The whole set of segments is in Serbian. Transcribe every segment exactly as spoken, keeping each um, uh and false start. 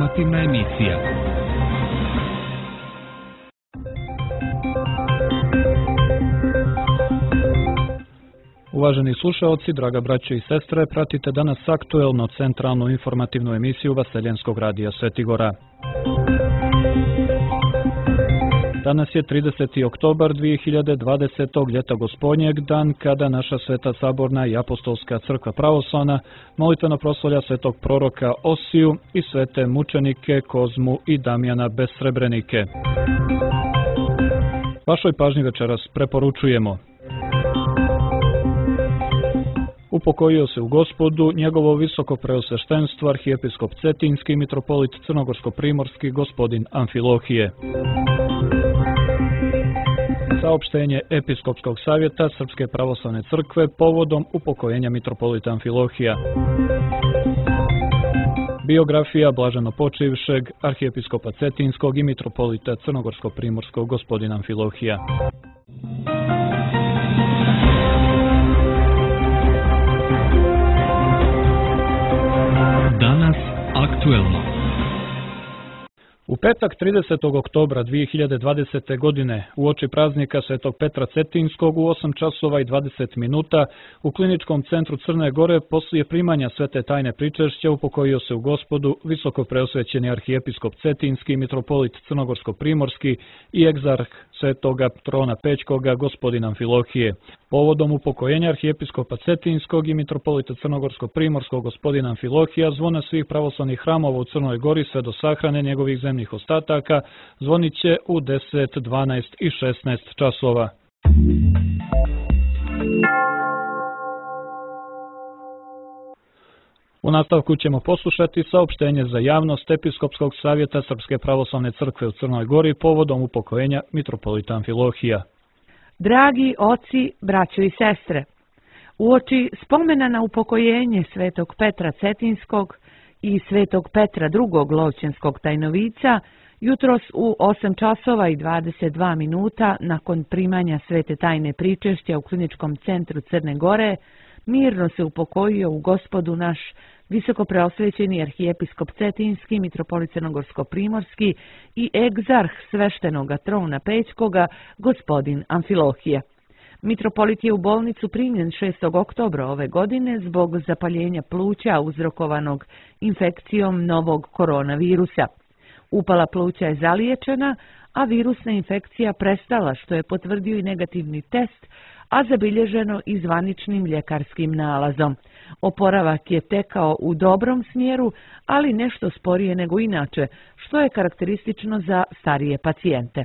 Informativna emisija. Uvaženi slušaoci, draga braće i sestre, pratite danas aktuelno centralnu informativnu emisiju Vaseljenskog radija Svetigora. Danas je trideseti oktobar dvije hiljade dvadesetog. ljeta gospodnjeg, dan kada naša Sveta Saborna i Apostolska crkva pravoslavna molitveno proslavlja svetog proroka Osiju i svete mučenike Kozmu i Damjana Besrebrenike. Vašoj pažnji večeras preporučujemo: upokojio se u Gospodu njegovo visoko preosveštenstvo arhijepiskop Cetinski i mitropolit Crnogorsko-primorski gospodin Amfilohije. Saopštenje Episkopskog savjeta Srpske pravoslavne crkve povodom upokojenja mitropolita Amfilohija. Biografija blaženopočivšeg arhijepiskopa Cetinskog i mitropolita Crnogorsko-primorskog gospodina Amfilohija. Danas aktuelno. U petak tridesetog oktobra dvije hiljade dvadesete. godine uoči praznika Svetog Petra Cetinskog u osam časova i dvadeset minuta u Kliničkom centru Crne Gore poslije primanja svete tajne pričešća upokojio se u Gospodu visoko preosvećeni arhijepiskop Cetinski, mitropolit Crnogorsko-primorski i egzarh Svetoga Trona Pećkoga gospodin Amfilohije. Povodom upokojenja arhijepiskopa Cetinskog i mitropolita Crnogorsko-primorskog gospodina Amfilohija zvona svih pravoslavnih hramova u Crnoj Gori sve do sahrane njegovih zemnih ostataka zvonit će u deset, dvanaest i šesnaest časova. U nastavku ćemo poslušati saopštenje za javnost Episkopskog savjeta Srpske pravoslavne crkve u Crnoj Gori povodom upokojenja mitropolita Amfilohija. Dragi oci, braćo i sestre, uoči spomena na upokojenje svetog Petra Cetinskog i svetog Petra drugog lovćenskog tajnovica, jutros u osam časova i dvadeset dva minuta nakon primanja svete tajne pričešća u Kliničkom centru Crne Gore, mirno se upokojio u Gospodu naš visoko preosvećeni arhijepiskop Cetinski, mitropolit Crnogorsko-primorski i egzarh sveštenoga Trona Pećkoga, gospodin Amfilohije. Mitropolit je u bolnicu primljen šestog oktobra ove godine zbog zapaljenja pluća uzrokovanog infekcijom novog koronavirusa. Upala pluća je zaliječena, a virusna infekcija prestala, što je potvrdio i negativni test, a zabilježeno i zvaničnim ljekarskim nalazom. Oporavak je tekao u dobrom smjeru, ali nešto sporije nego inače, što je karakteristično za starije pacijente.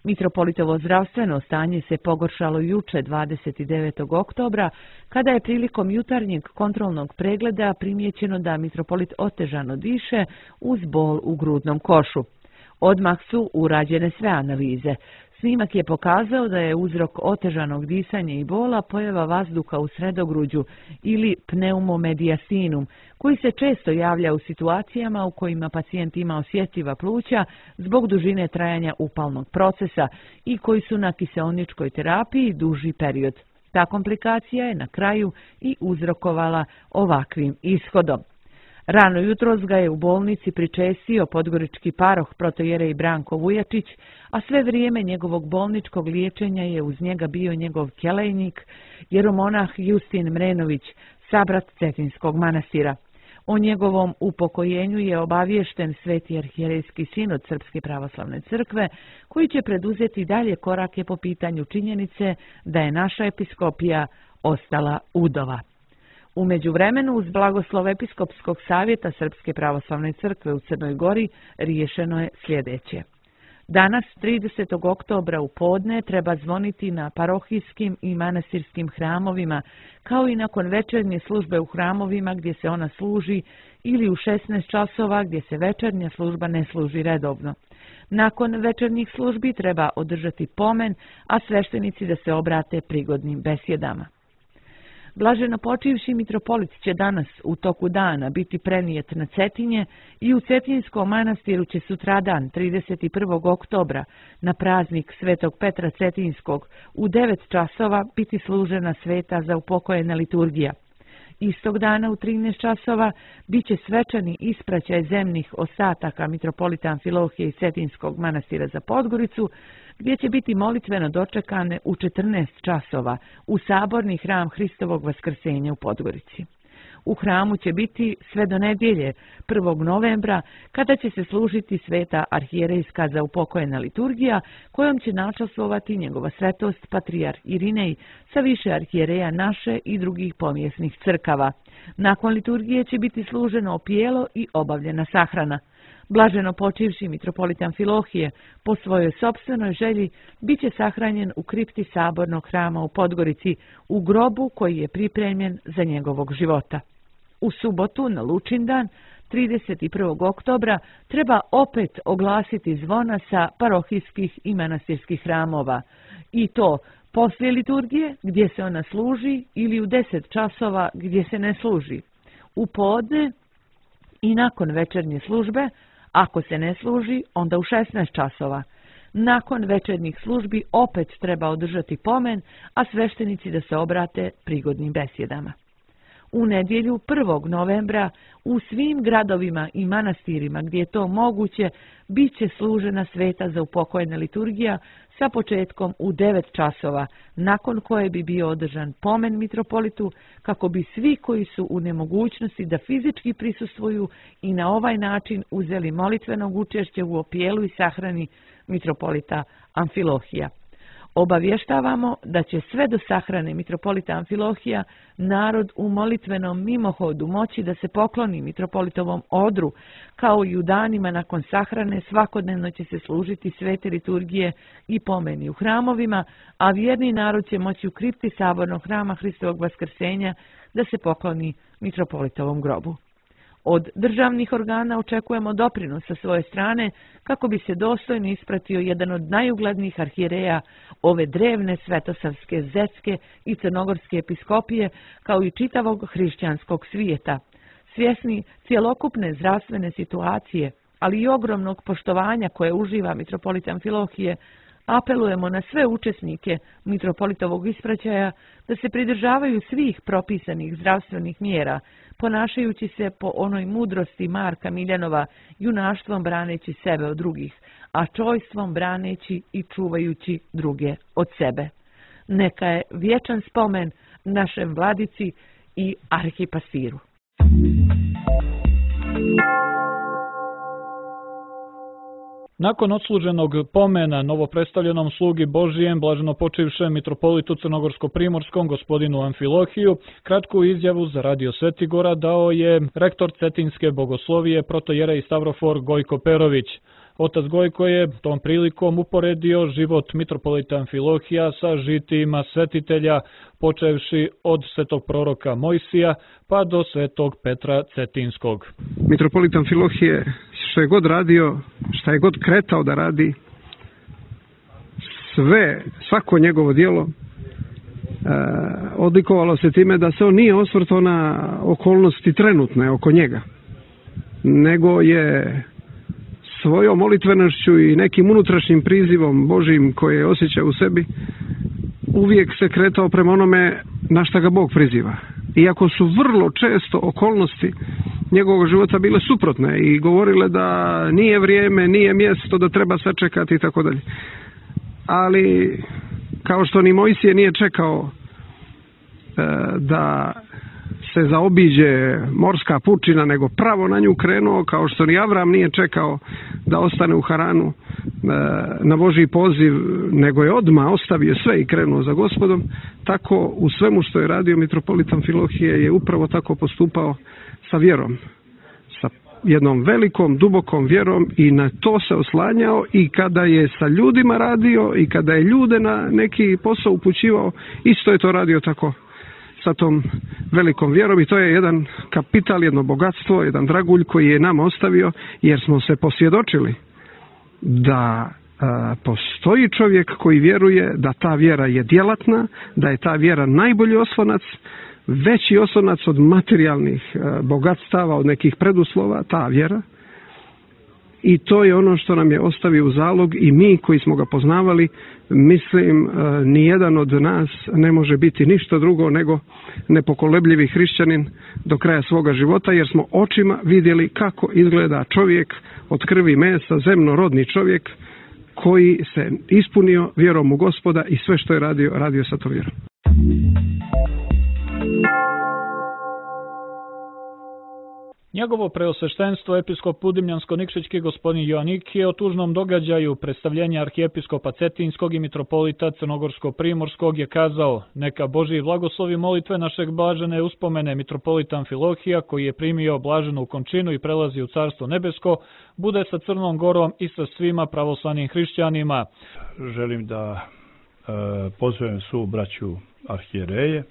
Mitropolitovo zdravstveno stanje se pogoršalo juče dvadeset devetog oktobra, kada je prilikom jutarnjeg kontrolnog pregleda primijećeno da mitropolit otežano diše uz bol u grudnom košu. Odmah su urađene sve analize. Snimak je pokazao da je uzrok otežanog disanja i bola pojava vazduha u sredogruđu ili pneumomediasinum, koji se često javlja u situacijama u kojima pacijent ima osjetljiva pluća zbog dužine trajanja upalnog procesa i koji su na kiseoničkoj terapiji duži period. Ta komplikacija je na kraju i uzrokovala ovakvim ishodom. Rano jutros ga je u bolnici pričestio podgorički paroh protojerej Branko Vujačić, a sve vrijeme njegovog bolničkog liječenja je uz njega bio njegov kelejnik, jeromonah Justin Mrenović, sabrat Cetinskog manastira. O njegovom upokojenju je obaviješten Sveti arhijerejski sinod Srpske pravoslavne crkve, koji će preduzeti dalje korake po pitanju činjenice da je naša episkopija ostala udova. U međuvremenu, uz blagoslov Episkopskog savjeta Srpske pravoslavne crkve u Crnoj Gori, riješeno je sljedeće. Danas, tridesetog oktobra u podne, treba zvoniti na parohijskim i manastirskim hramovima, kao i nakon večernje službe u hramovima gdje se ona služi, ili u šesnaest časova gdje se večernja služba ne služi redovno. Nakon večernjih službi treba održati pomen, a sveštenici da se obrate prigodnim besjedama. Blaženo počivši mitropolit će danas u toku dana biti prenijet na Cetinje i u Cetinskom manastiru će sutradan trideset prvog oktobra na praznik Svetog Petra Cetinskog u devet časova biti služena sveta za upokojena liturgija. Istog dana u trinaest časova biće svečani ispraćaj zemnih ostataka mitropolita Amfilohije i Cetinskog manastira za Podgoricu, gdje će biti molitveno dočekane u četrnaest časova u saborni hram Hristovog vaskrsenja u Podgorici. U hramu će biti sve do nedjelje, prvog novembra, kada će se služiti sveta arhijerejska zaupokojena liturgija, kojom će načastvovati njegova svetost patrijarh Irinej sa više arhijereja naše i drugih pomjesnih crkava. Nakon liturgije će biti služeno opijelo i obavljena sahrana. Blaženo počivši mitropolit Amfilohije, po svojoj sopstvenoj želji, bit će sahranjen u kripti sabornog hrama u Podgorici, u grobu koji je pripremljen za njegovog života. U subotu, na Lučindan, trideset prvog oktobra, treba opet oglasiti zvona sa parohijskih i manastirskih hramova. I to poslije liturgije, gdje se ona služi, ili u deset časova gdje se ne služi. U podne i nakon večernje službe, ako se ne služi, onda u šesnaest časova. Nakon večernjih službi opet treba održati pomen, a sveštenici da se obrate prigodnim besjedama. U nedjelju prvog novembra u svim gradovima i manastirima gdje je to moguće bit će služena sveta zaupokojena liturgija sa početkom u devet časova, nakon koje bi bio održan pomen mitropolitu, kako bi svi koji su u nemogućnosti da fizički prisustvuju i na ovaj način uzeli molitvenog učešća u opijelu i sahrani mitropolita Amfilohija. Obavještavamo da će sve do sahrane mitropolita Amfilohija narod u molitvenom mimohodu moći da se pokloni mitropolitovom odru, kao i u danima nakon sahrane svakodnevno će se služiti svete liturgije i pomeni u hramovima, a vjerni narod će moći u kripti sabornog hrama Hristovog vaskrsenja da se pokloni mitropolitovom grobu. Od državnih organa očekujemo doprinos sa svoje strane kako bi se dostojno ispratio jedan od najuglednijih arhijereja ove drevne svetosavske, zetske i crnogorske episkopije, kao i čitavog hrišćanskog svijeta. Svjesni cjelokupne zdravstvene situacije, ali i ogromnog poštovanja koje uživa mitropolit Amfilohije, apelujemo na sve učesnike mitropolitovog ispraćaja da se pridržavaju svih propisanih zdravstvenih mjera, ponašajući se po onoj mudrosti Marka Miljanova, junaštvom braneći sebe od drugih, a čojstvom braneći i čuvajući druge od sebe. Neka je vječan spomen našem vladici i arhipastiru. Nakon odsluženog pomena novopredstavljenom slugi Božijem, blaženo počivšem mitropolitu Crnogorsko-primorskom gospodinu Amfilohiju, kratku izjavu za Radio Svetigora dao je rektor Cetinske bogoslovije protojerej Stavrofor Gojko Perović. Otac Gojko je tom prilikom uporedio život mitropolita Amfilohija sa žitijima svetitelja, počevši od svetog proroka Mojsija pa do svetog Petra Cetinskog. Mitropolit Amfilohije što je god radio, šta je god kretao da radi, sve, svako njegovo djelo e, odlikovalo se time da se on nije osvrtao na okolnosti trenutne oko njega, nego je svojom molitvenošću i nekim unutrašnjim prizivom Božijim koje je osjećao u sebi uvijek se kretao prema onome na šta ga Bog priziva. Iako su vrlo često okolnosti njegovog života bile suprotne i govorile da nije vrijeme, nije mjesto, da treba sačekati i tako dalje. Ali kao što ni Mojsije nije čekao e, da se zaobiđe morska pučina, nego pravo na nju krenuo, kao što ni Avram nije čekao da ostane u Haranu na Božji poziv, nego je odmah ostavio sve i krenuo za Gospodom, tako u svemu što je radio mitropolit Amfilohije je upravo tako postupao sa vjerom, sa jednom velikom, dubokom vjerom, i na to se oslanjao i kada je sa ljudima radio i kada je ljude na neki posao upućivao, isto je to radio tako sa tom velikom vjerom, i to je jedan kapital, jedno bogatstvo, jedan dragulj koji je nama ostavio, jer smo se posvjedočili da a, postoji čovjek koji vjeruje da ta vjera je djelatna, da je ta vjera najbolji oslonac, veći oslonac od materijalnih a, bogatstava, od nekih preduslova, ta vjera. i to je ono što nam je ostavio u zalog i mi koji smo ga poznavali, mislim, nijedan od nas ne može biti ništa drugo nego nepokolebljivi hrišćanin do kraja svoga života, jer smo očima vidjeli kako izgleda čovjek od krvi i mesa, zemnorodni čovjek koji se ispunio vjerom u Gospoda i sve što je radio, radio sa to vjerom. Njegovo preosveštenstvo episkop Udimljansko-Nikšićki gospodin Joanikije o tužnom događaju predstavljenja arhijepiskopa Cetinskog i mitropolita Crnogorsko-Primorskog je kazao: neka Božji blagoslovi molitve našeg blažene uspomene mitropolita Amfilohija, koji je primio blaženu končinu i prelazi u Carstvo nebesko, bude sa Crnom Gorom i sa svima pravoslavnim hrišćanima. Želim da e, pozovem svu braću arhijereje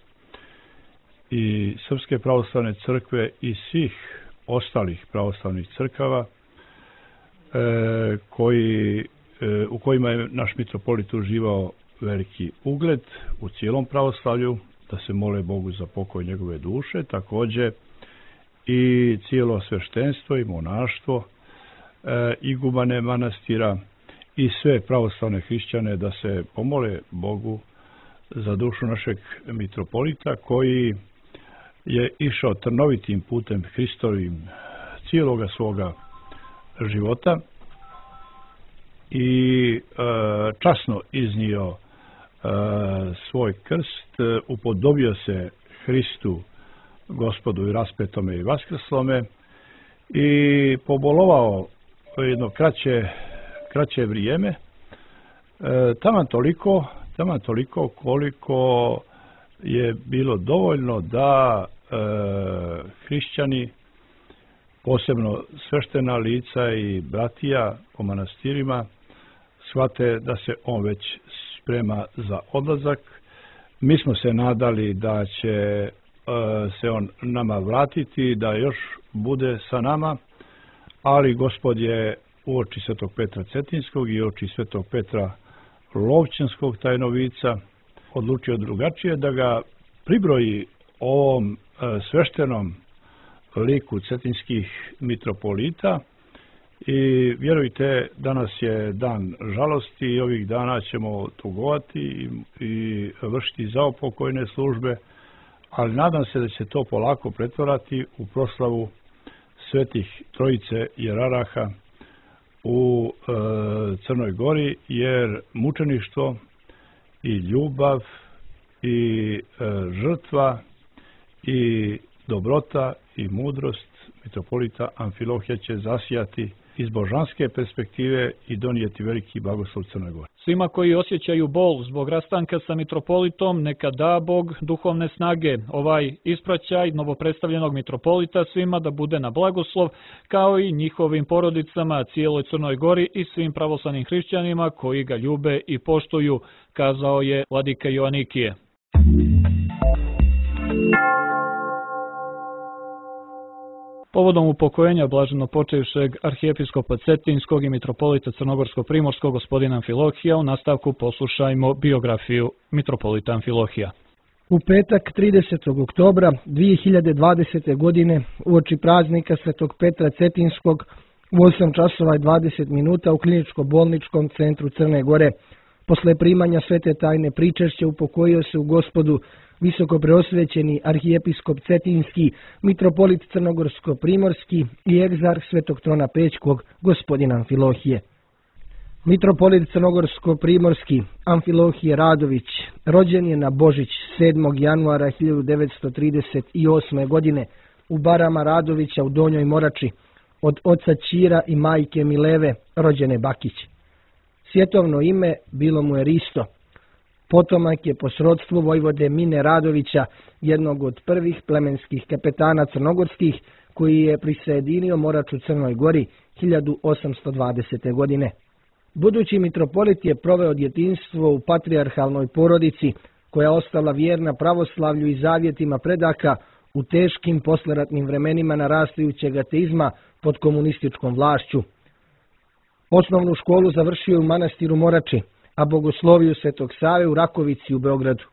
i Srpske pravoslavne crkve i svih ostalih pravoslavnih crkava e, koji, e, u kojima je naš mitropolit uživao veliki ugled u cijelom pravoslavlju, da se mole Bogu za pokoj njegove duše, također i cijelo sveštenstvo i monaštvo, e, igumane manastira i sve pravoslavne hrišćane da se pomole Bogu za dušu našeg mitropolita, koji je išao trnovitim putem Hristovim cijeloga svoga života i e, časno iznio e, svoj krst, upodobio se Hristu, Gospodu i raspetome i vaskrslome i pobolovao jedno kraće, kraće vrijeme, e, taman toliko, taman toliko koliko je bilo dovoljno da e, hrišćani, posebno sveštena lica i bratija po manastirima, shvate da se on već sprema za odlazak. Mi smo se nadali da će e, se on nama vratiti, da još bude sa nama, ali Gospod je uoči svetog Petra Cetinskog i uoči svetog Petra Lovćenskog tajnovica odlučio drugačije, da ga pribroji ovom e, sveštenom liku cetinskih mitropolita. I vjerujte, danas je dan žalosti i ovih dana ćemo tugovati i, i vršiti zaopokojne službe, ali nadam se da će to polako pretvarati u proslavu svetih trojice jeraraha u e, Crnoj Gori, jer mučeništvo i ljubav i e, žrtva i dobrota i mudrost mitropolita Amfilohija će zasijati iz božanske perspektive i donijeti veliki blagoslov Crnoj Gori. Svima koji osjećaju bol zbog rastanka sa mitropolitom, neka da Bog duhovne snage. Ovaj ispraćaj novopredstavljenog mitropolita svima da bude na blagoslov, kao i njihovim porodicama, cijeloj Crnoj Gori i svim pravoslavnim hrišćanima koji ga ljube i poštuju, kazao je vladika Joanikije. Povodom upokojenja blaženo počevšeg arhijepiskopa Cetinskog i mitropolita Crnogorsko-Primorskog gospodina Amfilohija, u nastavku poslušajmo biografiju mitropolita Amfilohija. U petak tridesetog oktobra dvije hiljade dvadesete. godine uoči praznika svetog Petra Cetinskog u osam časova i dvadeset minuta u kliničko-bolničkom centru Crne Gore, posle primanja svete tajne pričešća, upokojio se u Gospodu visoko preosvećeni arhijepiskop Cetinski, mitropolit Crnogorsko-Primorski i egzarh Svetog Trona Pećkog gospodina Amfilohije. Mitropolit Crnogorsko-Primorski Amfilohije Radović rođen je na Božić sedmog januara hiljadu devetsto trideset osme. godine u Barama Radovića u Donjoj Morači od oca Ćira i majke Mileve rođene Bakić. Svjetovno ime bilo mu je Risto. Potomak je po srodstvu vojvode Mine Radovića, jednog od prvih plemenskih kapetana crnogorskih, koji je prisajedinio Morač u Crnoj Gori hiljadu osamsto dvadesete. godine. Budući mitropolit je proveo djetinjstvo u patrijarhalnoj porodici, koja ostala vjerna pravoslavlju i zavjetima predaka u teškim posleratnim vremenima narastajućeg ateizma pod komunističkom vlašću. Osnovnu školu završio u manastiru Morači, a bogosloviju Svetog Save u Rakovici u Beogradu.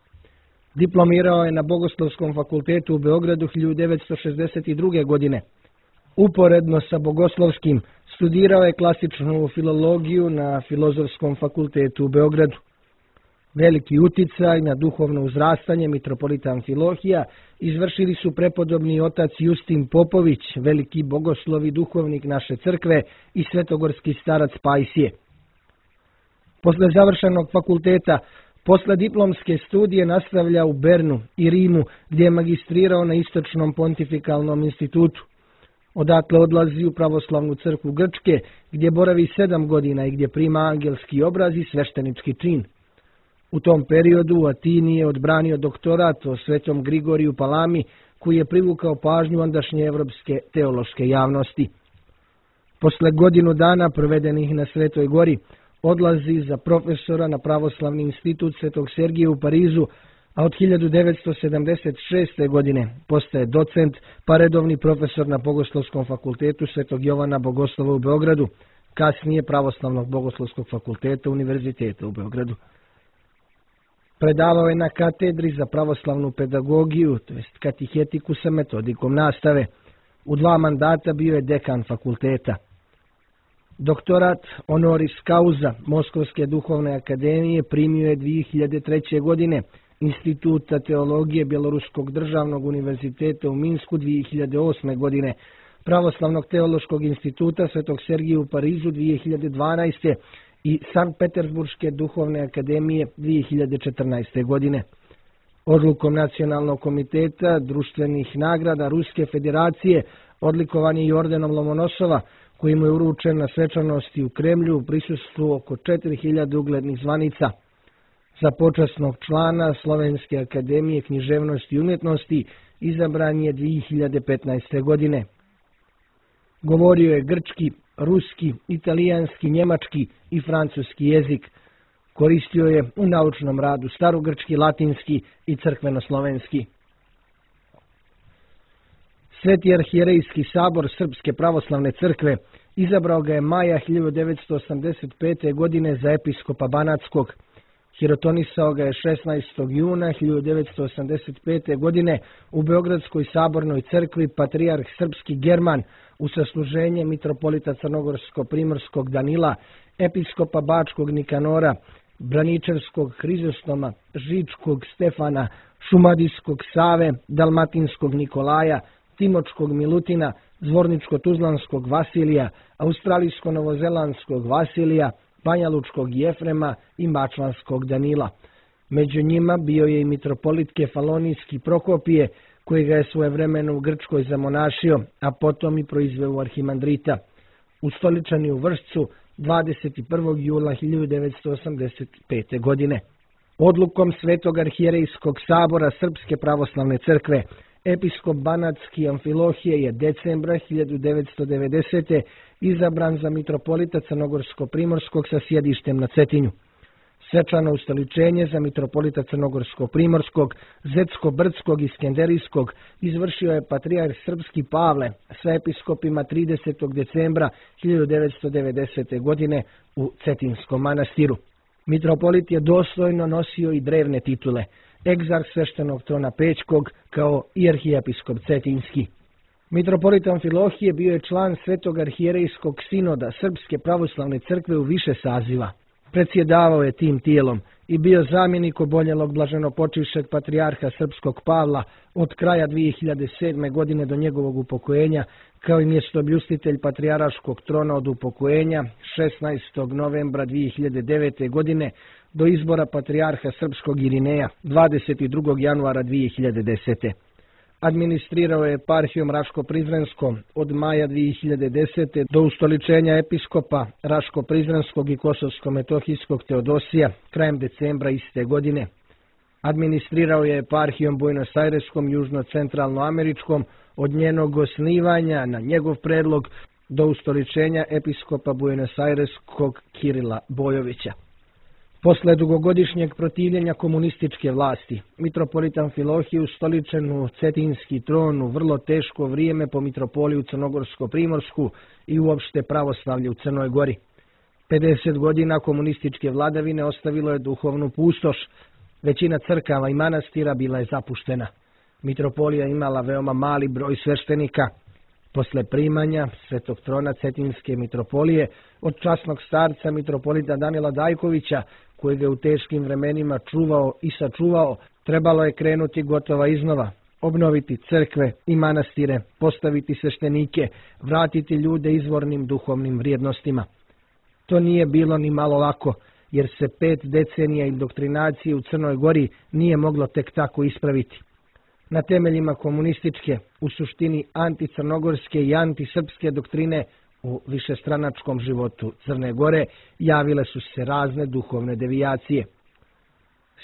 Diplomirao je na Bogoslovskom fakultetu u Beogradu hiljadu devetsto šezdeset druge. godine. Uporedno sa bogoslovskim Studirao je klasičnu filologiju na Filozofskom fakultetu u Beogradu. Veliki uticaj na duhovno uzrastanje mitropolita Amfilohija izvršili su prepodobni otac Justin Popović, veliki bogoslov i duhovnik naše crkve, i svetogorski starac Pajsije. Posle završenog fakulteta, posle diplomske studije nastavlja u Bernu i Rimu, gdje je magistrirao na Istočnom pontifikalnom institutu. Odatle odlazi u pravoslavnu crkvu Grčke, gdje boravi sedam godina i gdje prima angelski obraz i sveštenički čin. U tom periodu u Atini je odbranio doktorat o svetom Grigoriju Palami, koji je privukao pažnju ondašnje evropske teološke javnosti. Posle godinu dana provedenih na Svetoj gori, odlazi za profesora na pravoslavni institut Svetog Sergija u Parizu, a od hiljadu devetsto sedamdeset šeste. godine postaje docent pa redovni profesor na Bogoslovskom fakultetu Svetog Jovana Bogoslova u Beogradu, kasnije Pravoslavnog bogoslovskog fakulteta Univerziteta u Beogradu. Predavao je na katedri za pravoslavnu pedagogiju, to jest katihetiku sa metodikom nastave. U dva mandata bio je dekan fakulteta. Doktorat honoris causa Moskovske duhovne akademije primio je dvije hiljade treće. godine, Instituta teologije Bjeloruskog državnog univerziteta u Minsku dvije hiljade osme. godine, Pravoslavnog teološkog instituta Svetog Sergija u Parizu dvije hiljade dvanaeste. i Sankt Petersburške duhovne akademije dvije hiljade četrnaeste. godine. Odlukom Nacionalnog komiteta društvenih nagrada Ruske federacije odlikovan je i ordenom Lomonosova, koji mu je uručen na svečanosti u Kremlju u prisustvu oko četiri hiljade uglednih zvanica. Za počasnog člana Slovenske akademije književnosti i umjetnosti izabran je dvije hiljade petnaeste. godine. Govorio je grčki, ruski, italijanski, njemački i francuski jezik. Koristio je u naučnom radu starogrčki, latinski i crkveno-slovenski. Sveti arhijerejski sabor Srpske pravoslavne crkve izabrao ga je maja hiljadu devetsto osamdeset pete. godine za episkopa Banatskog. Hirotonisao ga je šesnaestog juna hiljadu devetsto osamdeset pete. godine u Beogradskoj sabornoj crkvi patrijarh srpski German u sasluženje mitropolita Crnogorsko-primorskog Danila, episkopa Bačkog Nikanora, Braničevskog Hrizostoma, Žičkog Stefana, Šumadijskog Save, Dalmatinskog Nikolaja, Timočkog Milutina, Zvorničko-Tuzlanskog Vasilija, Australijsko-Novozelandskog Vasilija, Banjalučkog Jefrema i Mačvanskog Danila. Među njima bio je i mitropolit Kefalonijski Prokopije, koji ga je svojevremeno u Grčkoj zamonašio, a potom i proizveo u arhimandrita. Ustoličan je u Vršcu dvadeset prvog jula hiljadu devetsto osamdeset pete. godine. Odlukom Svetog arhijerejskog sabora Srpske pravoslavne crkve, episkop Banatski Amfilohije je decembra hiljadu devetsto devedesete. izabran za mitropolita Crnogorsko-primorskog sa sjedištem na Cetinju. Svečano ustoličenje za mitropolita Crnogorsko-primorskog, Zetsko-brdskog i Skenderijskog izvršio je patrijarh srpski Pavle sa episkopima tridesetog decembra hiljadu devetsto devedesete. godine u Cetinskom manastiru. Mitropolit je dostojno nosio i drevne titule, egzarh sveštenog trona Pećkog kao i arhijepiskop Cetinski. Mitropolit Amfilohije bio je član Svetog arhijerejskog sinoda Srpske pravoslavne crkve u više saziva. Predsjedavao je tim tijelom i bio zamjenik oboljelog blaženopočivšeg patrijarha srpskog Pavla od kraja dvije hiljade sedme. godine do njegovog upokojenja, kao i mjestoobljustitelj patrijarškog trona od upokojenja šesnaestog novembra dvije hiljade devete. godine do izbora patrijarha srpskog Irineja dvadeset drugog januara dvije hiljade desete. Administrirao je eparhijom Raško-Prizrenskom od maja dvije hiljade desete. do ustoličenja episkopa Raško-Prizrenskog i Kosovsko-Metohijskog Teodosija krajem decembra iste godine. Administrirao je eparhijom Buenos Aireskom južno-centralnoameričkom od njenog osnivanja na njegov predlog do ustoličenja episkopa Buenos Aireskog Kirila Bojovića. Posle dugogodišnjeg protivljenja komunističke vlasti, mitropolit Amfilohije ustoličen u Cetinski tron u vrlo teško vrijeme po mitropoliju Crnogorsko-primorsku i uopšte pravoslavlje u Crnoj Gori. pedeset godina komunističke vladavine ostavilo je duhovnu pustoš. Većina crkava i manastira bila je zapuštena. Mitropolija imala veoma mali broj sveštenika. Posle primanja Svetog trona Cetinske mitropolije od časnog starca mitropolita Danila Dajkovića, koji ga u teškim vremenima čuvao i sačuvao, trebalo je krenuti gotova iznova, obnoviti crkve i manastire, postaviti sveštenike, vratiti ljude izvornim duhovnim vrijednostima. To nije bilo ni malo lako, jer se pet decenija indoktrinacije u Crnoj Gori nije moglo tek tako ispraviti. Na temeljima komunističke, u suštini anticrnogorske i antisrpske doktrine u višestranačkom životu Crne Gore javile su se razne duhovne devijacije.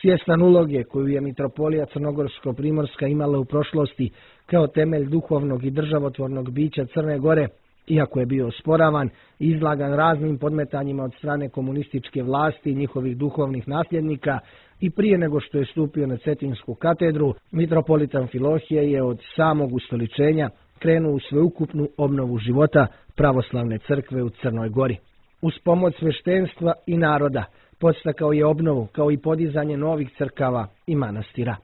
Svjestan uloge koju je mitropolija Crnogorsko-Primorska imala u prošlosti kao temelj duhovnog i državotvornog bića Crne Gore, iako je bio osporavan i izlagan raznim podmetanjima od strane komunističke vlasti i njihovih duhovnih nasljednika, i prije nego što je stupio na Cetinsku katedru, mitropolit Amfilohije je od samog ustoličenja krenuo u sveukupnu obnovu života pravoslavne crkve u Crnoj Gori. Uz pomoć sveštenstva i naroda podstakao je obnovu kao i podizanje novih crkava i manastira.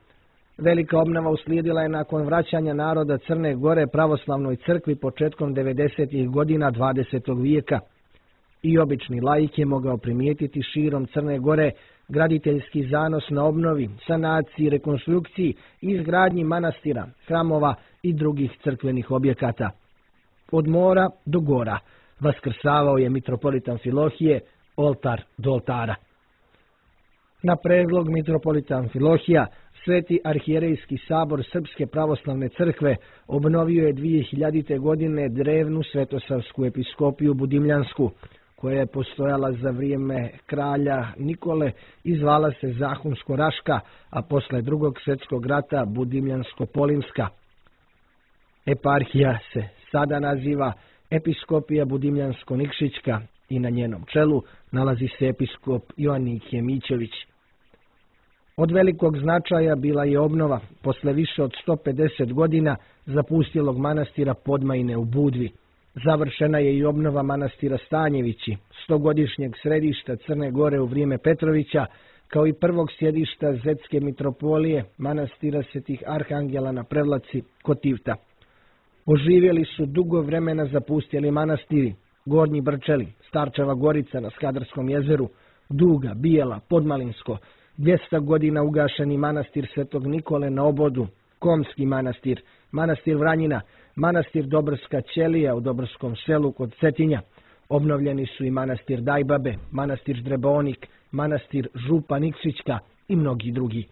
Velika obnova uslijedila je nakon vraćanja naroda Crne Gore pravoslavnoj crkvi početkom devedesetih godina dvadesetog vijeka. I obični laik je mogao primijetiti širom Crne Gore graditeljski zanos na obnovi, sanaciji, rekonstrukciji i izgradnji manastira, hramova i drugih crkvenih objekata. Od mora do gora vaskrsavao je mitropolit Amfilohije, oltar do oltara. Na predlog mitropolita Amfilohija, Sveti arhijerejski sabor Srpske pravoslavne crkve obnovio je dvije hiljadite godine drevnu svetosavsku episkopiju Budimljansku, koja je postojala za vrijeme kralja Nikole i zvala se Zahumsko-Raška, a posle drugog svjetskog rata Budimljansko-Polimska. Eparhija se sada naziva Episkopija Budimljansko-Nikšićka i na njenom čelu nalazi se episkop Joannikije Mićević. Od velikog značaja bila je obnova posle više od sto pedeset godina zapustilog manastira Podmajine u Budvi. Završena je i obnova manastira Stanjevići, stogodišnjeg središta Crne Gore u vrijeme Petrovića, kao i prvog sjedišta Zetske mitropolije, manastira Svetih Arhangela na Prevlaci kod Tivta. Oživjeli su dugo vremena zapustjeli manastiri Gornji Brčeli, Starčeva Gorica na Skadarskom jezeru, Duga, Bijela, Podmalinsko, dvjesto godina ugašeni manastir Svetog Nikole na Obodu, Komski manastir, manastir Vranjina, manastir Dobrska Ćelija u Dobrskom selu kod Cetinja. Obnovljeni su i manastir Dajbabe, manastir Ždrebonik, manastir Župa Nikšićka i mnogi drugi.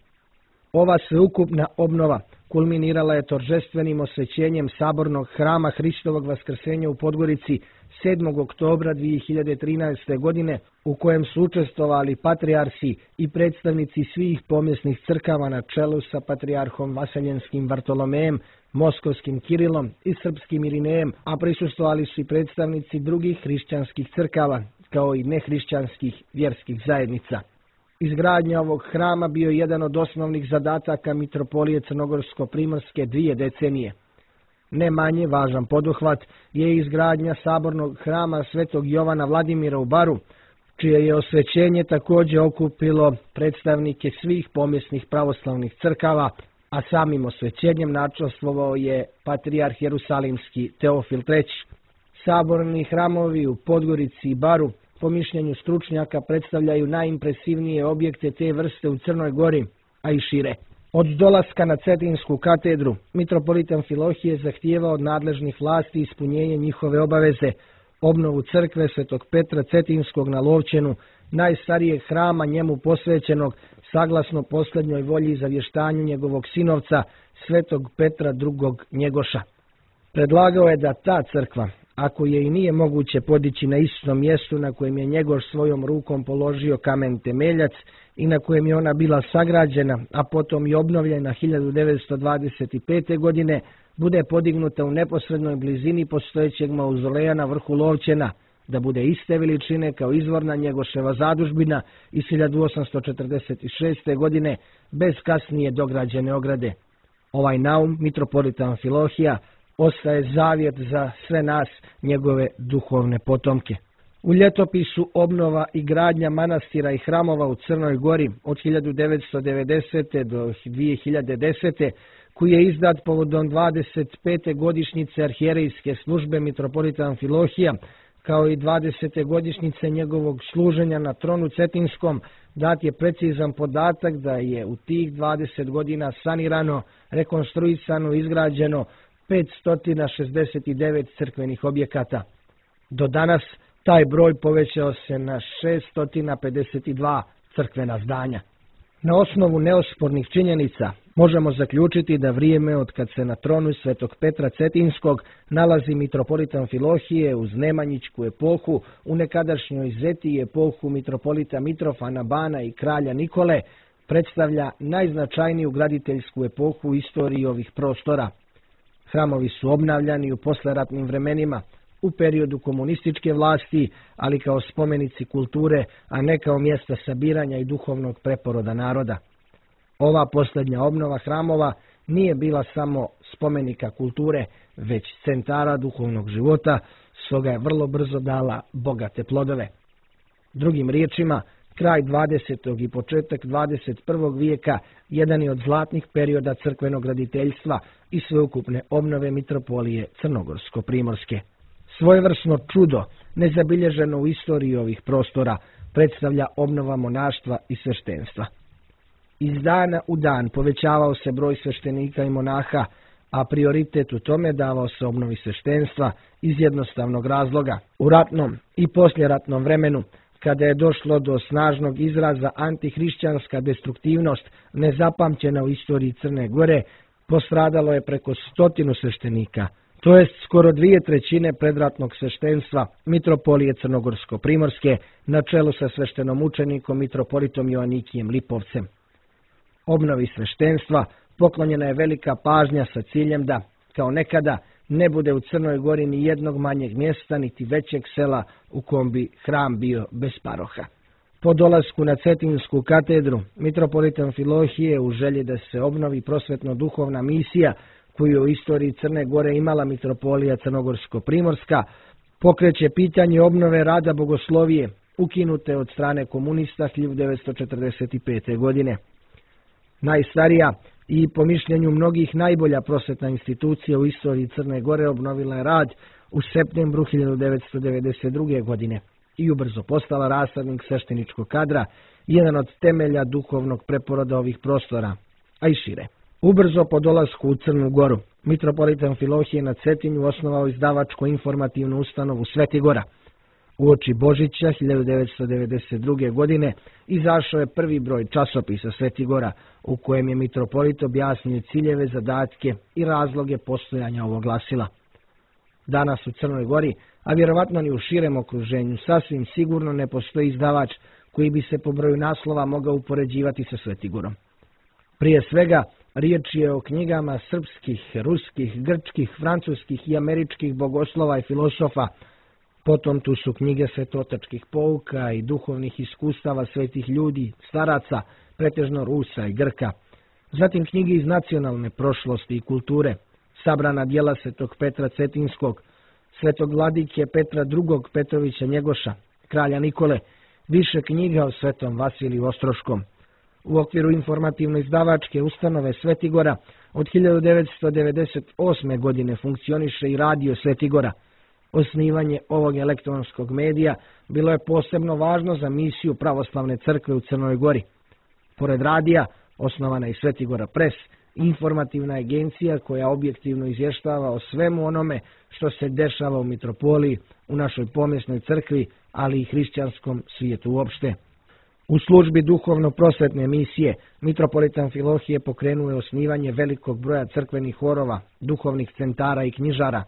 Ova sveukupna obnova kulminirala je торжественim osvećenjem sabornog hrama Hristovog vaskrsenja u Podgorici sedmog oktobra dvije hiljade trinaeste. godine, u kojem su učestvovali patrijarsi i predstavnici svih pomjesnih crkava na čelu sa patrijarhom Vaseljenskim Vartolomejem, Moskovskim Kirilom i Srpskim Irinejem, a prisustvovali su i predstavnici drugih hrišćanskih crkava, kao i nehrišćanskih vjerskih zajednica. Izgradnja ovog hrama bio je jedan od osnovnih zadataka mitropolije Crnogorsko-Primorske dvije decenije. Ne manje važan poduhvat je izgradnja sabornog hrama Svetog Jovana Vladimira u Baru, čije je osvećenje također okupilo predstavnike svih pomjesnih pravoslavnih crkava, a samim osvećenjem načestvovao je patrijarh Jerusalimski Teofil treći. Saborni hramovi u Podgorici i Baru, po mišljenju stručnjaka, predstavljaju najimpresivnije objekte te vrste u Crnoj Gori, a i šire. Od dolaska na Cetinsku katedru, mitropolit Amfilohije zahtijevao od nadležnih vlasti ispunjenje njihove obaveze, obnovu crkve Svetog Petra Cetinskog na Lovćenu, najstarijeg hrama njemu posvećenog, saglasno posljednjoj volji i zavještanju njegovog sinovca, Svetog Petra drugog Njegoša. Predlagao je da ta crkva, ako je i nije moguće podići na istom mjestu na kojem je Njegoš svojom rukom položio kamen temeljac i na kojem je ona bila sagrađena, a potom i obnovljena hiljadu devetsto dvadeset pete. godine, bude podignuta u neposrednoj blizini postojećeg mauzoleja na vrhu Lovćena, da bude iste veličine kao izvorna Njegoševa zadužbina iz hiljadu osamsto četrdeset šeste. godine, bez kasnije dograđene ograde. Ovaj naum mitropolita Amfilohija ostaje zavjet za sve nas, njegove duhovne potomke. U ljetopisu obnova i gradnja manastira i hramova u Crnoj Gori od hiljadu devetsto devedesete. do dvije hiljade desete. koji je izdat povodom dvadeset pete godišnjice arhijerejske službe mitropolita Amfilohija, kao i dvadesete godišnjice njegovog služenja na tronu Cetinskom, dat je precizan podatak da je u tih dvadeset godina sanirano, rekonstruisano, izgrađeno petsto šezdeset devet crkvenih objekata. Do danas taj broj povećao se na šesto pedeset dva crkvena zdanja. Na osnovu neospornih činjenica možemo zaključiti da vrijeme od kad se na tronu svetog Petra Cetinskog nalazi mitropolita Amfilohije uz Nemanjićku epohu, u nekadašnjoj Zeti epohu mitropolita Mitrofana Bana i kralja Nikole, predstavlja najznačajniju graditeljsku epohu u istoriji ovih prostora. Hramovi su obnavljani u posleratnim vremenima, u periodu komunističke vlasti, ali kao spomenici kulture, a ne kao mjesta sabiranja i duhovnog preporoda naroda. Ova posljednja obnova hramova nije bila samo spomenika kulture, već centara duhovnog života, stoga je vrlo brzo dala bogate plodove. Drugim riječima, kraj dvadesetog i početak dvadeset prvog vijeka jedan je od zlatnih perioda crkvenog graditeljstva i sveukupne obnove mitropolije Crnogorsko-primorske. Svojevrsno čudo, nezabilježeno u istoriji ovih prostora, predstavlja obnova monaštva i sveštenstva. Iz dana u dan povećavao se broj sveštenika i monaha, a prioritet u tome davao se obnovi sveštenstva iz jednostavnog razloga. U ratnom i posljeratnom vremenu, kada je došlo do snažnog izraza antihrišćanska destruktivnost nezapamćena u istoriji Crne Gore, postradalo je preko stotinu sveštenika, to jest skoro dvije trećine predratnog sveštenstva mitropolije Crnogorsko-primorske na čelu sa sveštenom učenikom mitropolitom Joanikijem Lipovcem. Obnovi sveštenstva poklonjena je velika pažnja sa ciljem da, kao nekada, ne bude u Crnoj Gori ni jednog manjeg mjesta niti većeg sela u kom bi hram bio bez paroha. Po dolasku na Cetinsku katedru, mitropolit Amfilohije u želji da se obnovi prosvetno-duhovna misija koju je u istoriji Crne Gore imala mitropolija Crnogorsko-primorska, pokreće pitanje obnove rada bogoslovije, ukinute od strane komunista hiljadu devetsto četrdeset pete. godine. Najstarija i po mišljenju mnogih najbolja prosvetna institucija u istoriji Crne Gore obnovila je rad u septembru hiljadu devetsto devedeset druge. godine i ubrzo postala rasadnik svešteničkog kadra, jedan od temelja duhovnog preporoda ovih prostora, a i šire. Ubrzo po dolasku u Crnu Goru, mitropolit Amfilohije na Cetinju osnovao izdavačko informativnu ustanovu Sveti Gora. Uoči Božića hiljadu devetsto devedeset druge. godine izašao je prvi broj časopisa Sveti Gora, u kojem je mitropolit objasnio ciljeve, zadatke i razloge postojanja ovog glasila. Danas u Crnoj Gori, a vjerovatno ni u širem okruženju, sasvim sigurno ne postoji izdavač koji bi se po broju naslova mogao upoređivati sa Svetigorom. Prije svega, riječ je o knjigama srpskih, ruskih, grčkih, francuskih i američkih bogoslova i filosofa. Potom tu su knjige svetotačkih pouka i duhovnih iskustava svetih ljudi, staraca, pretežno Rusa i Grka. Zatim knjige iz nacionalne prošlosti i kulture, sabrana djela svetog Petra Cetinskog, svetog vladike Petra drugog. Petrovića Njegoša, kralja Nikole, više knjiga o svetom Vasiliju Ostroškom. U okviru informativno-izdavačke ustanove Svetigora od hiljadu devetsto devedeset osme. godine funkcioniše i radio Svetigora. Osnivanje ovog elektronskog medija bilo je posebno važno za misiju pravoslavne crkve u Crnoj Gori. Pored radija, osnovana je i Svetigora Pres, informativna agencija koja objektivno izvještava o svemu onome što se dešava u mitropoliji, u našoj pomjesnoj crkvi, ali i hrišćanskom svijetu uopšte. U službi duhovno-prosvetne misije, mitropolit Amfilohije pokrenuo je osnivanje velikog broja crkvenih horova, duhovnih centara i knjižara.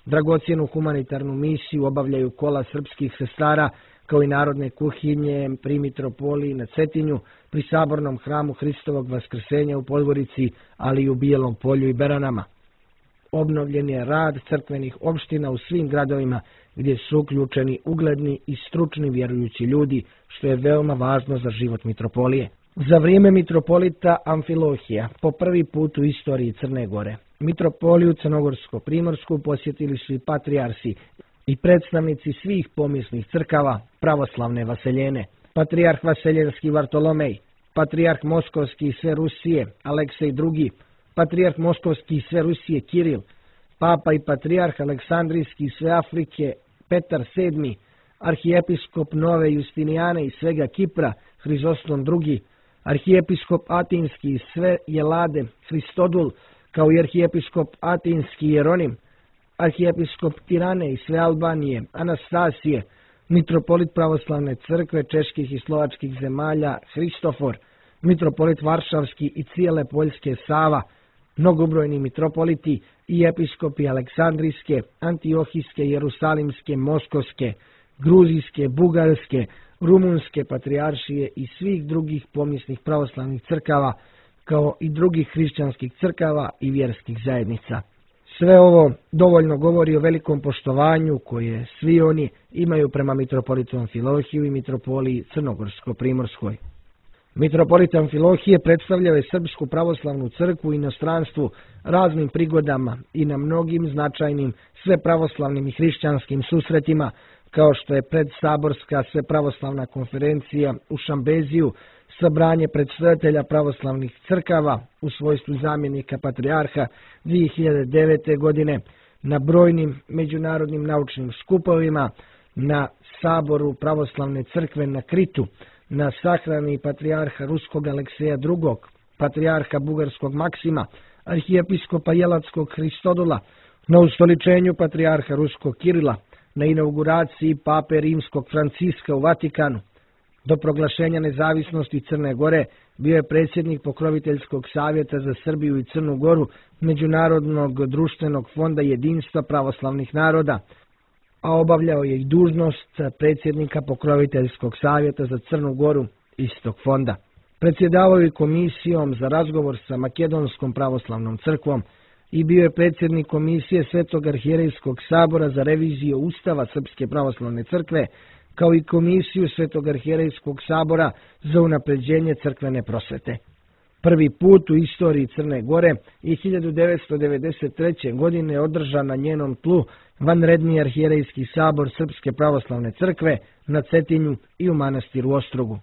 Dragocjenu humanitarnu misiju obavljaju kola srpskih sestara, kao i narodne kuhinje pri mitropoliji na Cetinju, pri sabornom hramu Hristovog Vaskrsenja u Podgorici, ali i u Bijelom Polju i Beranama. Obnovljen je rad crkvenih opština u svim gradovima gdje su uključeni ugledni i stručni vjerujući ljudi, što je veoma važno za život mitropolije. Za vrijeme mitropolita Amfilohija, po prvi put u istoriji Crne Gore, mitropoliju Crnogorsko-primorsku posjetili su i patrijarsi i predstavnici svih pomjesnih crkava pravoslavne vaseljene. Patrijarh Vaseljenski Vartolomej, patrijarh Moskovski i sve Rusije Aleksej drugi, patrijarh Moskovski i sve Rusije Kiril, papa i patrijarh Aleksandrijski i sve Afrike Petar sedmi, arhijepiskop Nove Justinijane i svega Kipra Hrizostom drugi, arhijepiskop Atinski i sve Jelade Hristodul, kao i arhijepiskop Atinski Jeronim, arhijepiskop Tirane i sve Albanije Anastasije, mitropolit pravoslavne crkve čeških i slovačkih zemalja Hristofor, mitropolit Varšavski i cijele Poljske Sava, mnogobrojni mitropoliti i episkopi Aleksandrijske, Antiohijske, Jerusalimske, Moskovske, Gruzijske, Bugarske, Rumunske patrijaršije i svih drugih pomisnih pravoslavnih crkava, kao i drugih hrišćanskih crkava i vjerskih zajednica. Sve ovo dovoljno govori o velikom poštovanju koje svi oni imaju prema mitropolitu Amfilohiju i mitropoliji Crnogorsko-Primorskoj. Mitropolit Amfilohije predstavljao je Srpsku pravoslavnu crkvu u inostranstvu raznim prigodama i na mnogim značajnim svepravoslavnim i hrišćanskim susretima, kao što je predsaborska svepravoslavna konferencija u Šambeziju, sabranje predsjedatelja pravoslavnih crkava u svojstvu zamjenika patrijarha dvije hiljade devete. godine, na brojnim međunarodnim naučnim skupovima, na saboru pravoslavne crkve na Kritu, na sahrani patrijarha Ruskog Alekseja drugog, patrijarha Bugarskog Maksima, arhijepiskopa Jelatskog Hristodula, na ustoličenju patrijarha Ruskog Kirila, na inauguraciji pape Rimskog Franciska u Vatikanu. Do proglašenja nezavisnosti Crne Gore bio je predsjednik Pokroviteljskog savjeta za Srbiju i Crnu Goru Međunarodnog društvenog fonda jedinstva pravoslavnih naroda, a obavljao je i dužnost predsjednika Pokroviteljskog savjeta za Crnu Goru istog fonda. Predsjedavao je komisijom za razgovor sa Makedonskom pravoslavnom crkvom i bio je predsjednik komisije Svetog arhijerejskog sabora za reviziju Ustava Srpske pravoslavne crkve, kao i komisiju Svetog arhijerejskog sabora za unapređenje crkvene prosvete. Prvi put u istoriji Crne Gore je hiljadu devetsto devedeset treće. godine održan na njenom tlu vanredni arhijerejski sabor Srpske pravoslavne crkve na Cetinju i u manastiru Ostrogu.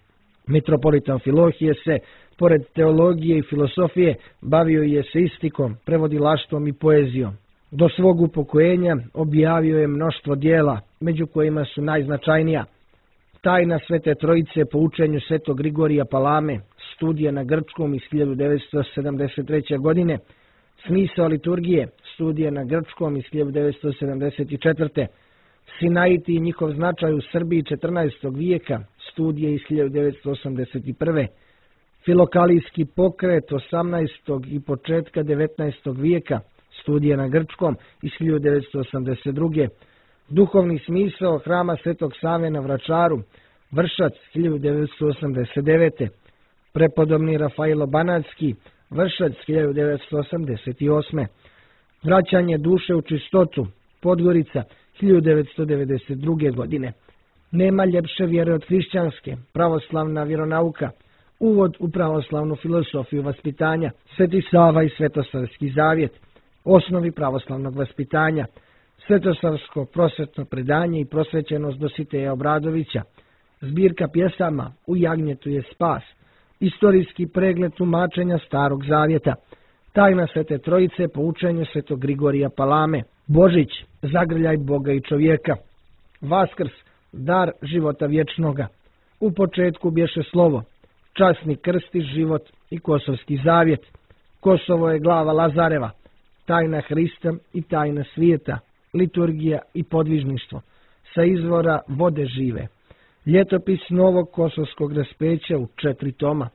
Mitropolit Amfilohije se, pored teologije i filosofije, bavio je eseistikom, prevodilaštvom i poezijom. Do svog upokojenja objavio je mnoštvo dijela, među kojima su najznačajnija Tajna Svete Trojice po učenju Svetog Grigorija Palame, studija na grčkom iz hiljadu devetsto sedamdeset treće. godine, Smisao liturgije, studija na grčkom iz hiljadu devetsto sedamdeset četvrte. Sinaiti i njihov značaj u Srbiji četrnaestog. vijeka, studije iz hiljadu devetsto osamdeset prve. Filokalijski pokret osamnaestog. i početka devetnaestog. vijeka, studije na grčkom iz hiljadu devetsto osamdeset druge. Duhovni smisao hrama Svetog Save na Vračaru, Vršac, hiljadu devetsto osamdeset devete. Prepodobni Rafailo Banatski, Vršac, hiljadu devetsto osamdeset osme. Vraćanje duše u čistotu, Podgorica, hiljadu devetsto devedeset druge. godine. Nema ljepše vjere od hrišćanske, pravoslavna vjeronauka, uvod u pravoslavnu filosofiju vaspitanja, Sveti Sava i Svetosavski zavjet, osnovi pravoslavnog vaspitanja, Svetosavsko prosvetno predanje i prosvećenost Dositeja Obradovića, zbirka pjesama U jagnjetu je spas, istorijski pregled tumačenja Starog zavjeta, Tajna Svete Trojice po učenju Svetog Grigorija Palame, Božić, zagrljaj Boga i čovjeka, Vaskrs, dar života vječnoga, U početku bješe slovo, Časni krst i život i Kosovski zavjet, Kosovo je glava Lazareva, Tajna Hrista i tajna svijeta, liturgija i podvižništvo, sa izvora vode žive, ljetopis novog kosovskog raspeća u četiri toma,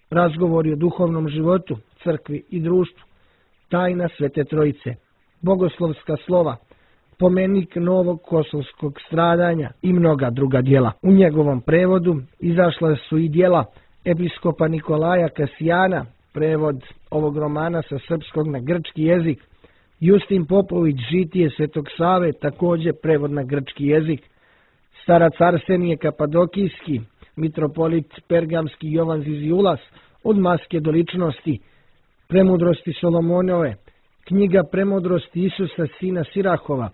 razgovori o duhovnom životu, crkvi i društvu, Tajna Svete Trojice, bogoslovska slova, pomenik novog kosovskog stradanja i mnoga druga djela. U njegovom prevodu izašla su i djela episkopa Nikolaja Kasijana, prevod ovog romana sa srpskog na grčki jezik, Justin Popović, Žitije Svetog Save, također prevod na grčki jezik, starac Arsenije Kapadokijski, mitropolit Pergamski Jovan Ziziulas, Od maske do ličnosti, Premudrosti Solomonove, knjiga Premudrosti Isusa sina Sirahova,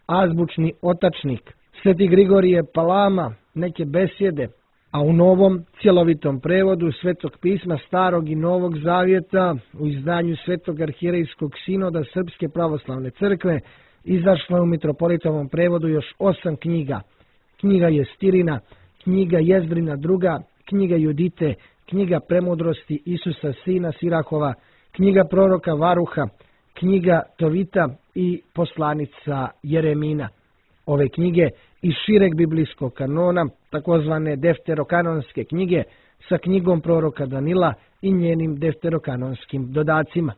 azbučni otačnik, Sveti Grigorije Palama, neke besjede, a u novom cjelovitom prevodu Svetog pisma Starog i Novog Zavjeta u izdanju Svetog arhijerejskog sinoda Srpske pravoslavne crkve izašlo je u mitropolitovom prevodu još osam knjiga. Knjiga Jestirina, knjiga Jezdrina druga, knjiga Judite, knjiga Premudrosti Isusa sina Sirahova, knjiga proroka Varuha, knjiga Tovita i poslanica Jeremina. Ove knjige iz šireg biblijskog kanona, takozvane defterokanonske knjige, sa knjigom proroka Danila i njenim defterokanonskim dodacima.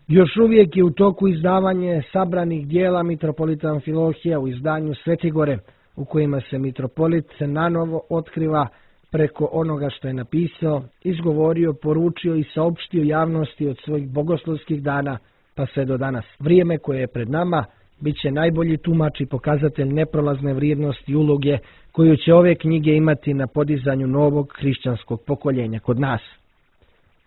Još uvijek je u toku izdavanje sabranih dijela mitropolita Amfilohija u izdanju Svetigore, u kojima se mitropolit nanovo otkriva preko onoga što je napisao, izgovorio, poručio i saopštio javnosti od svojih bogoslovskih dana pa sve do danas. Vrijeme koje je pred nama bit će najbolji tumač i pokazatelj neprolazne vrijednosti i uloge koju će ove knjige imati na podizanju novog hrišćanskog pokoljenja kod nas.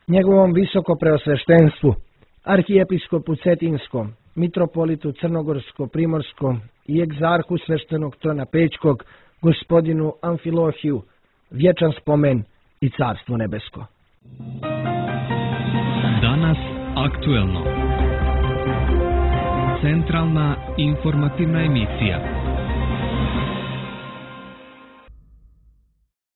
Njegovom visoko preosveštenstvu, arhijepiskopu Cetinskom, mitropolitu Crnogorsko-Primorskom i egzarhu sveštenog trona Pećkog, gospodinu Amfilohiju, vječan spomen i carstvo nebesko. Danas aktuelno. Centralna informativna emisija.